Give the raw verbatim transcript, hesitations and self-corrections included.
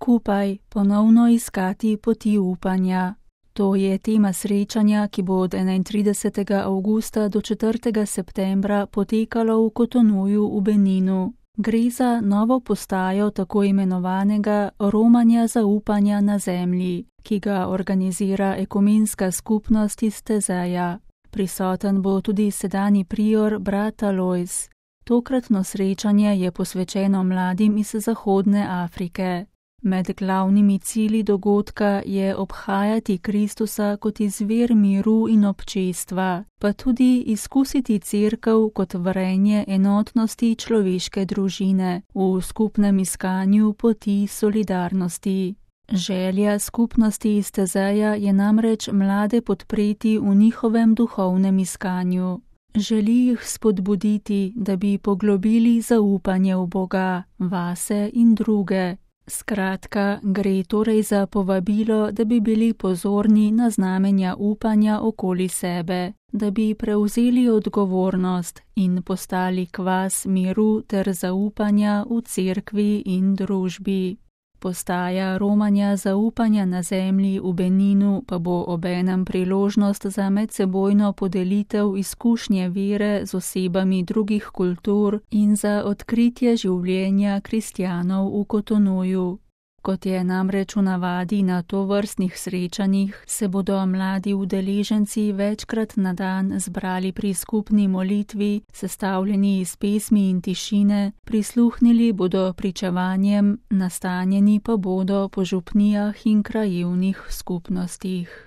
skupaj ponovno iskati poti upanja. To je tema srečanja, ki bo od enaintridesetega avgusta do četrtega septembra potekalo v Kotonuju v Beninu. Gre za novo postajo tako imenovanega romanja zaupanja na zemlji, ki ga organizira ekumenska skupnost iz Tezeja. Prisoten bo tudi sedanji prior brat Alojz. Tokratno srečanje je posvečeno mladim iz Zahodne Afrike. Med glavnimi cilji dogodka je obhajati Kristusa kot izvir miru in občestva, pa tudi izkusiti cerkev kot vrenje enotnosti človeške družine v skupnem iskanju poti solidarnosti. Želja skupnosti iz Tezeja je namreč mlade podpreti v njihovem duhovnem iskanju. Želi jih spodbuditi, da bi poglobili zaupanje v Boga, vase in druge. Skratka, gre torej za povabilo, da bi bili pozorni na znamenja upanja okoli sebe, da bi prevzeli odgovornost in postali kvas miru ter zaupanja v cerkvi in družbi. Postaja romanja zaupanja na zemlji v Beninu pa bo obenem priložnost za medsebojno podelitev izkušnje vere z osebami drugih kultur in za odkritje življenja kristjanov v Kotonuju. Kot je namreč v navadi na tovrstnih srečanjih, se bodo mladi udeleženci večkrat na dan zbrali pri skupni molitvi, sestavljeni iz pesmi in tišine, prisluhnili bodo pričevanjem, nastanjeni pa bodo po župnijah in krajevnih skupnostih.